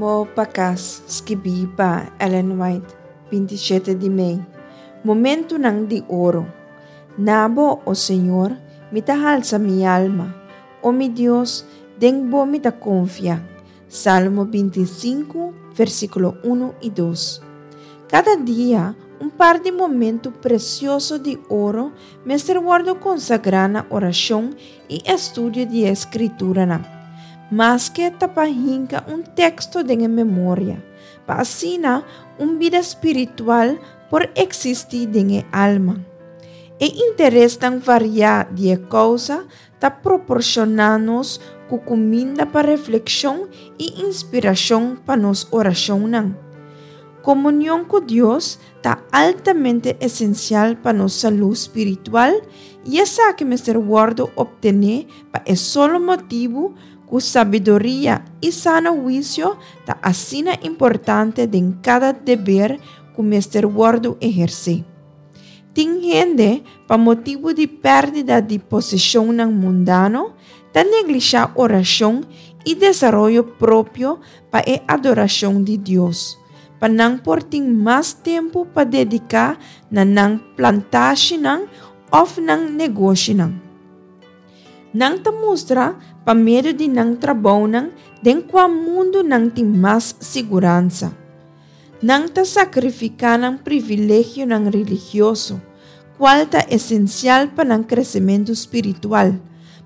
Rumbo pa Kas, skibí pa Ellen White, 27 di mei. Momentunan di oro. Na bo, o Señor, mi ta halsa mi alma. O mi Dios, den bo mi ta konfia. Salmo 25, versíkulo 1 i 2. Kada dia, un par di momentu presioso di oro mester wòrdu konsagrá na orashon i estudio di e Skrituranan, maske ta pa hinka un teksto den e memoria, pa asina un bida spiritual por eksistí den e alma. E interesnan variá di e kousa ta proporshoná nos ku kuminda pa reflekshon i inspirashon pa nos orashonnan. Komunion ku Dios ta altamente esensial pa nos salú spiritual i esaki mester wòrdu optené pa e solo motibu ku sabiduria i sano huisio ta asina importante den kada deber ku mester wòrdu ehersé. Tin hende, pa motibu di pèrdida di poseshonnan mundano, ta neglishá orashon i desaroyo propio pa e adorashon di Dios, pa nan por tin mas tempu pa dediká na nan plantashinan òf nan negoshinan. Nan ta mustra pa medio di nan trabounan den kua mundu nan tin mas siguransa. Nan ta sakrifiká nan privilegionan religioso, kual ta esensial pa nan kresementu spiritual,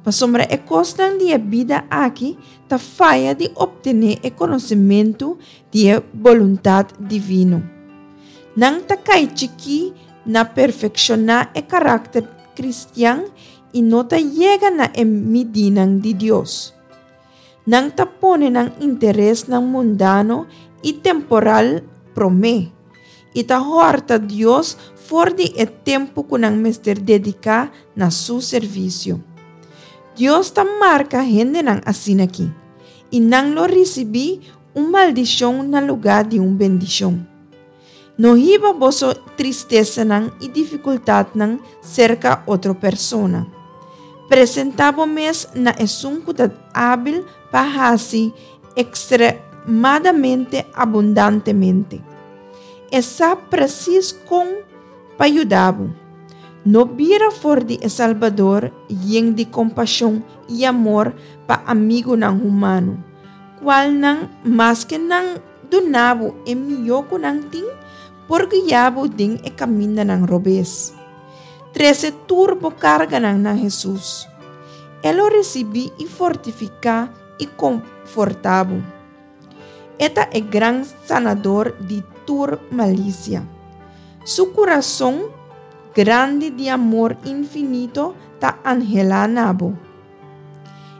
pasobra e kosnan di e bida aki ta faya di optené e konosementu di e boluntat divino. Nan ta kai chikí na perfekshoná e karakter kristian i no ta yega na e midínan di Dios. Nan ta pone nan interesnan mundano i temporal promé, i ta hòrta Dios for di e tempu ku nan mester dediká na su servisio. Dios ta marka hendenan asin'akí, i nan lo risibí un maldishon na lugá di un bendishon. No hiba boso tristesanan i difikultatnan serka otro persona. Presentá bo mes na esun ku ta ábil pa hasi ekstremadamente abundantemente. E sa presis kon pa yuda bo. No bira for di e Salbador yen di kompashon i amor pa amigunan humano, kualnan maske nan duna bo e mihó ku nan tin, por guia bo den e kamindanan robes. Trese tur bo karganan na Hesus. E lo risibí i fortifiká i konfortá bo. E ta e gran sanador di tur malisia. Su kurason grandi di amor infinito ta anhelá na bo.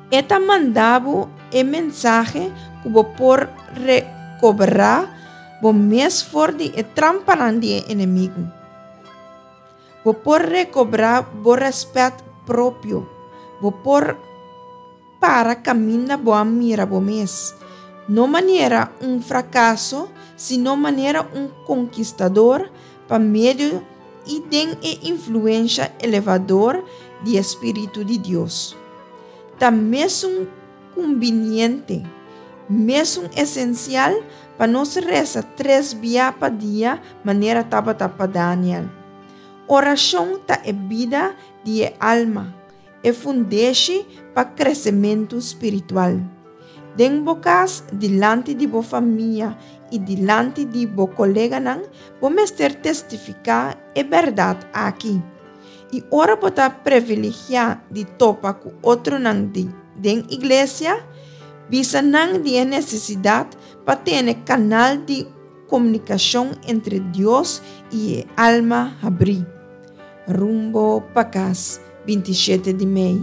E ta manda bo e mensahe ku bo por rekobrá bo mes for di e trampanan di e enemigu. Bo por rekobrá bo rèspèt propio. Bo por para kaminda bo a mira bo mes, no manera un frakaso, sino manera un konkistador pa medio i den e influensha elevador di e spiritu di Dios. Ta mesun kumbiniente, mesun esensial pa nos resa tres bia pa dia manera tabata pa Daniel. Orashon ta e bida di e alma, e fundeshi pa kresementu spiritual. Den bo kas, dilanti di bo famia i dilanti di bo koleganan, bo mester testifiká e bèrdat aki. I ora bo ta privilegiá di topa ku otronan di den iglesia, bisa nan di e nesesidat pa tene kanal di komunikashon entre Dios i e alma habrí. Rumbo pa kas, 27 di mei.